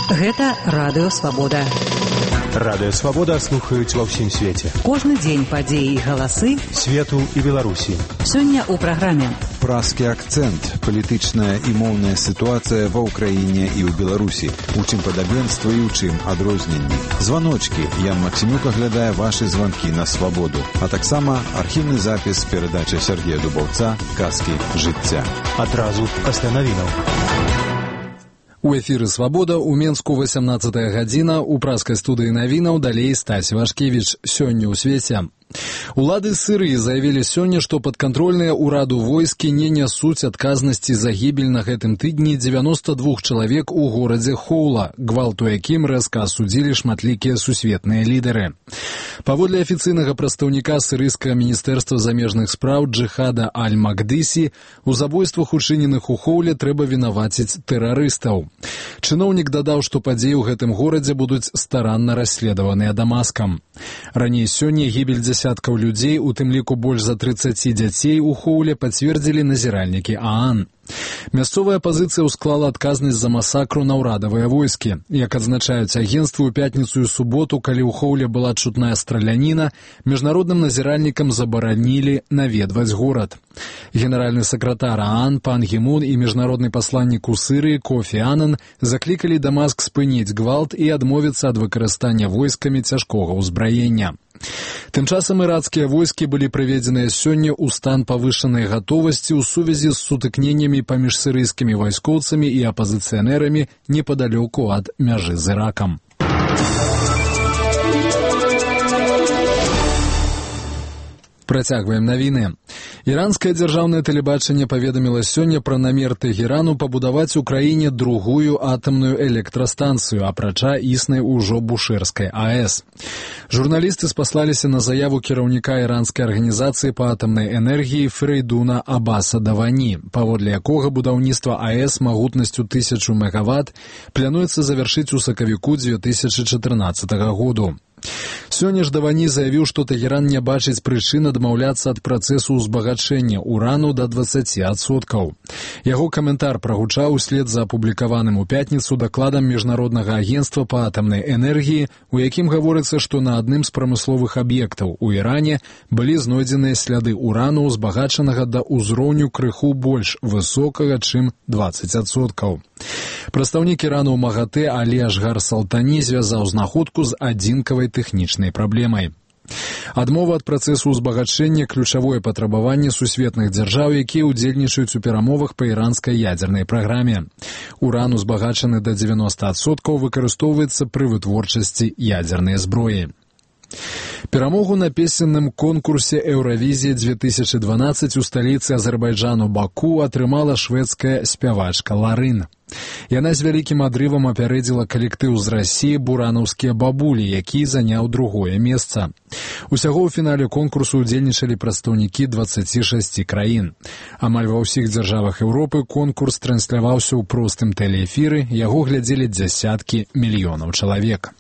Гэта Радыё Свабода. Радыё Свабода слухаюць ва ўсім свеце. Кожны дзень падзеі і галасы свету і Беларусі. Сёння ў праграме «Празкі акцэнт. Палітычная і моўная сітуацыя ва ўкраіне і ў Беларусі. У чым падабенства і ў чым адрозненні. Званочкі. Ян Максімюк аглядае вашы званкі на Свабоду. А таксама архіўны запіс перадачы Сергея Дубаўца «Казкі жыцця». Адразу пасля навінаў. У эфіры «Свабода» у Менску 18 гадзіна, у празкай студыі навінаў далей Стась Вашкевіч. Сёння ў свеце. Улады Сырыі заявілі сёння, што падкантрольныя ўраду войскі не нясуць адказнасці за гібель на гэтым тыдні 92 чалавек у горадзе Хоула, гвалту якім рэзка асудзілі шматлікія сусветныя лідары. Паводле афіцыйнага прадстаўніка сырыйскага міністэрства замежных спраў Джихада Аль-Макдыси, у забойствах, учыненых у Хоуле, трэба вінаваціць тэрарыстаў. Чыноўнік дадаў, што падзеі ў гэтым горадзе будуць старанна расследаваныя Дамаскам. Раней сёння гібель дзясяткаў людзей, у тым ліку больш за 30 дзяцей у Хоуле, пацвердзілі назіральнікі ААН. Мясцовая апазіцыя ўсклала адказнасць за масакру на ўрадавыя войскі. Як адзначаюць агенцтвы, у пятніцу і суботу, калі ў Хоуле была чутная страляніна, міжнародным назіральнікам забаранілі наведваць горад. Генеральны сакратар ААН Пан Гі Мун і міжнародны пасланнік у Сырыі Кофі Анан заклікалі Дамаск спыніць гвалт і адмовіцца ад выкарыстання войскамі цяжкога ўзбраення. Тым часам ірацкія войскі былі прыведзеныя сёння ў стан павышанай гатовасці ў сувязі з сутыкненнямі паміж сырыйскімі вайскоўцамі і апазіцыянэрамі непадалёку ад мяжы з Іракам. Працягваем навіны. Іранскае дзяржаўнае тэлебачанне паведаміла сёння пра намер Тэгерану пабудаваць у краіне другую атамную электрастанцыю, апрача існай ужо Бушэрскай АЭС. Журналісты спаслаліся на заяву кіраўніка іранскай арганізацыі па атамнай энергіі Фрейдуна Аббаса Давані, паводле якога будаўніцтва АЭС магутнасцю 1000 мегаватт плануецца завяршыць у сакавіку 2014 году. Сёння ж Давані заявіў, што Тэгеран не бачыць прычын адмаўляцца ад працэсу ўзбагачэння урану да 20%. Яго каментар прагучаў услед за апублікаваным у пятніцу дакладам Міжнароднага агенцтва па атамнай энергіі, у якім гаворыцца, што на адным з прамысловых аб'ектаў у Іране былі знойдзеныя сляды урану, узбагачанага да ўзроўню крыху больш высокага, чым 20%. Прадстаўнік Ірану ў МАГАТЭ Алі Ашгар Салтані звязаў знаходку з адзінкавай тэхнічнай праблемай. Адмова ад працэсу ўзбагачэння – ключавое патрабаванне сусветных дзяржаў, якія ўдзельнічаюць у перамовах па іранскай ядзернай праграме. Уран, узбагачаны да 90%, выкарыстоўваецца пры вытворчасці ядзернай зброі. Перамогу на песенным конкурсе «Еўравізія 2012» у сталіцы Азербайджану Баку атрымала шведская спявачка Ларын. Яна з вялікім адрывам апярэдзіла калектыў з Расіі «Буранаўскія бабулі», які заняў другое месца. Усяго ў фінале конкурсу ўдзельнічалі прадстаўнікі 26 краін. Амаль ва ўсіх дзяржавах Еўропы конкурс трансляваўся ў простым тэлеэфіры, яго глядзелі дзясяткі мільёнаў чалавек.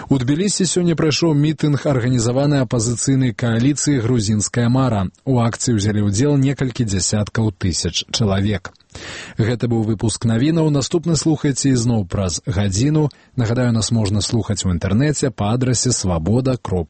У Тбілісі сёння прайшоў мітынг арганізаванай апазіцыйнай кааліцыі «Грузінская мара». У акцыі ўзялі ўдзел некалькі дзясяткаў тысяч чалавек. Гэта быў выпуск навінаў. Наступны слухайце ізноў праз гадзіну. Нагадаю, нас можна слухаць у інтэрнэце па адрасе swaboda.ru.